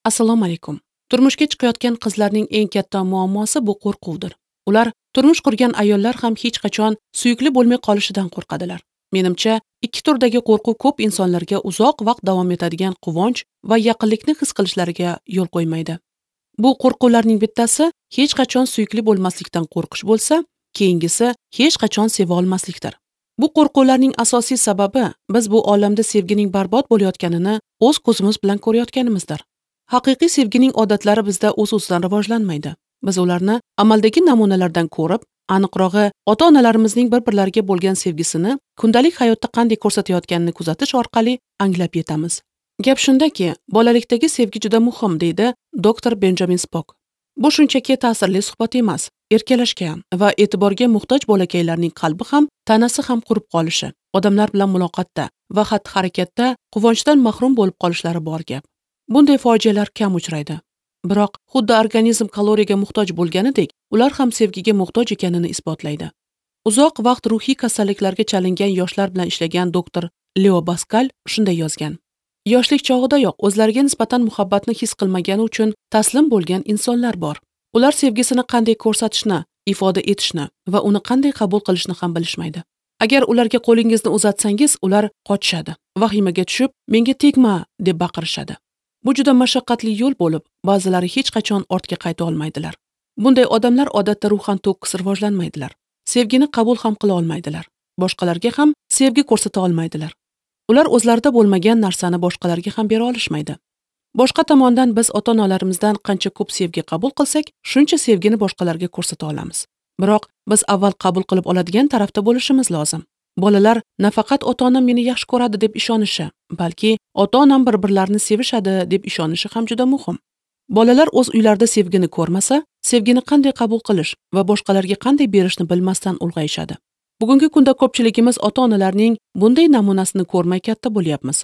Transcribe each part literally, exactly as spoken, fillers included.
Assalomu alaykum. Turmushga chiqayotgan qizlarning eng katta muammosi bu qo'rquvdir. Ular turmush qurgan ayollar ham hech qachon suyukli bo'lmay qolishidan qo'rqadilar. Menimcha, ikki turdagi qo'rquv ko'p insonlarga uzoq vaqt davom etadigan quvonch va yaqinlikni his qilishlariga yo'l qo'ymaydi. Bu qo'rquvlarning bittasi hech qachon suyukli bo'lmaslikdan qo'rqish bo'lsa, keyingisi hech qachon seva olmaslikdir. Bu qo'rquvlarning asosiy sababi biz bu olamda sevgining barbod bo'layotganini o'z ko'zimiz bilan ko'rayotganimizdir. Haqiqiy sevgining odatlari bizda o'z-o'zidan rivojlanmaydi. Biz ularni amaldagi namunalardan ko'rib, aniqrog'i ota-onalarimizning bir-birlariga bo'lgan sevgisini kundalik hayotda qanday ko'rsatayotganini kuzatish orqali anglab yetamiz. Gap shundaki, bolalikdagi sevgi juda muhim, deydi doktor Benjamin Spok. Bu shunchaki ta'sirli suhbat emas, erkalashga va e'tiborga muhtoj bolakaylarning qalbi ham, tanasi ham qurib qolishi, odamlar bilan muloqotda va xatti-harakatda quvonchdan mahrum bo'lib qolishlari bor gap. Bunday fojialar kam uchraydi. Biroq xuddi organizm kaloriyaga muhtoj bo'lganidek, ular ham sevgiga muhtoj ekanini isbotlaydi. Uzoq vaqt ruhiy kasalliklarga chalingan yoshlar bilan ishlagan doktor Leo Baskal shunday yozgan: Yoshlik chog'idayoq o'zlariga nisbatan muhabbatni his qilmagani uchun taslim bo'lgan insonlar bor. Ular sevgisini qanday ko'rsatishni, ifoda etishni va uni qanday qabul qilishni ham bilishmaydi. Agar ularga qo'lingizni uzatsangiz, ular qochishadi. Vahimaga tushib, "Menga tegma" deb baqirishadi. Bu juda mashaqqatli yo'l bo'lib, ba'zilari hech qachon ortga qayta olmaydilar. Bunday odamlar odatda ruhan to'kis rivojlanmaydilar. Sevgini qabul ham qila olmaydilar. Boshqalarga ham sevgi ko'rsata olmaydilar. Ular o'zlarida bo'lmagan narsani boshqalarga ham bera olishmaydi. Boshqa tomondan biz ota-onalarimizdan qancha ko'p sevgi qabul qilsak, shuncha sevgini boshqalarga ko'rsata olamiz. Biroq biz avval qabul qilib oladigan tarafda bo'lishimiz lozim. Bolalar nafaqat ota-onam meni yaxshi ko'radi deb ishonishi, balki ota-onam bir-birlarini sevishadi deb ishonishi ham juda muhim. Bolalar o'z uylarida sevgini ko'rmasa, sevgini qanday qabul qilish va boshqalarga qanday berishni bilmasdan ulg'ayishadi. Bugungi kunda ko'pchiligimiz ota-onalarning bunday namunasini ko'rmay katta bo'lyapmiz.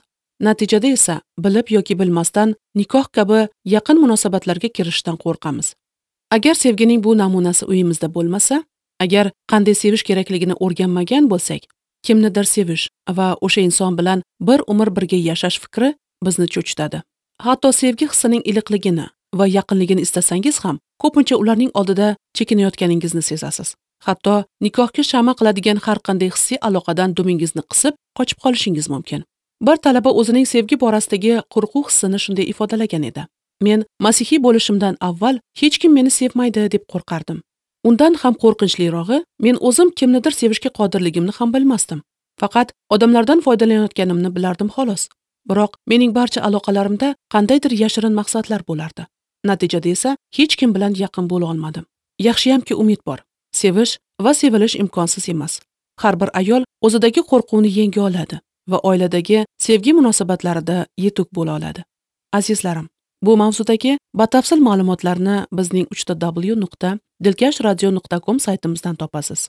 Natijada esa bilib yoki bilmasdan nikoh kabi yaqin munosabatlarga kirishdan qo'rqamiz. Agar sevgining bu namunasi uyimizda bo'lmasa, agar qanday sevish kerakligini o'rganmagan bo'lsak, kimnidir sevish va o'sha inson bilan bir umr birga yashash fikri bizni cho'chitadi. Hatto sevgi hissining iliqligini va yaqinligini istasangiz ham, ko'pincha ularning oldida chekinayotganingizni sezasiz. Hatto nikohga shama qiladigan har qanday hissiy aloqadan dumingizni qisib, qochib qolishingiz mumkin. Bir talaba o'zining sevgi borasidagi qo'rquv hissini shunday ifodalagan edi: Men masihiy bo'lishimdan avval hech kim meni sevmaydi deb qo'rqardim. Undan ham qo'rqinchlirog'i, men o'zim kimnidir sevishga qodirligimni ham bilmasdim. Faqat odamlardan foydalanayotganimni bilardim xolos. Biroq mening barcha aloqalarimda qandaydir yashirin maqsadlar bo'lardi. Natijada esa hech kim bilan yaqin bo'la olmadim. Yaxshiyamki umid bor. Sevish va sevilish imkonsiz emas. Har bir ayol o'zidagi qo'rquvni yenga oladi va oiladagi sevgi munosabatlarida yetuk bo'la oladi. Azizlarim, bu mavzudagi batafsil ma'lumotlarni bizning uch ta W nuqta dilkash radio nuqta com saytimizdan topasiz.